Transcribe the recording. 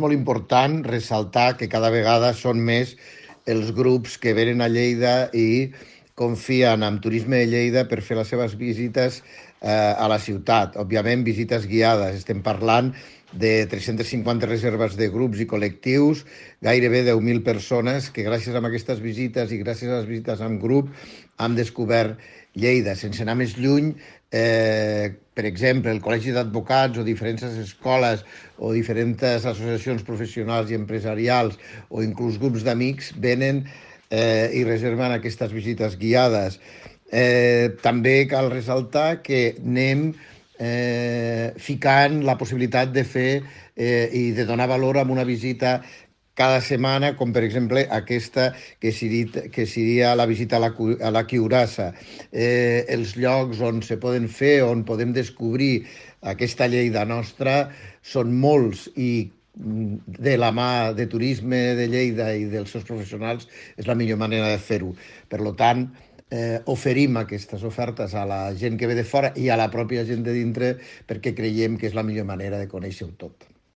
molt important ressaltar que cada vegada són més els grups que venen a Lleida i confien en Turisme de Lleida per fer les seves visites a la ciutat. Òbviament, visites guiades. Estem parlant de 350 reserves de grups i col·lectius, gairebé 10.000 persones que gràcies a aquestes visites i gràcies a les visites en grup han descobert Lleida. Sense anar més lluny, per exemple, el Col·legi d'Advocats o diferents escoles o diferents associacions professionals i empresarials o inclús grups d'amics venen i reserven aquestes visites guiades. També cal ressaltar que anem ficant la possibilitat de fer i de donar valor a una visita cada setmana, com per exemple aquesta que seria la visita a la Quiurassa. Els llocs on se poden fer, on podem descobrir aquesta Lleida nostra, són molts i de la mà de Turisme de Lleida i dels seus professionals és la millor manera de fer-ho. Per tant, oferim aquestes ofertes a la gent que ve de fora i a la pròpia gent de dintre perquè creiem que és la millor manera de conèixer-ho tot.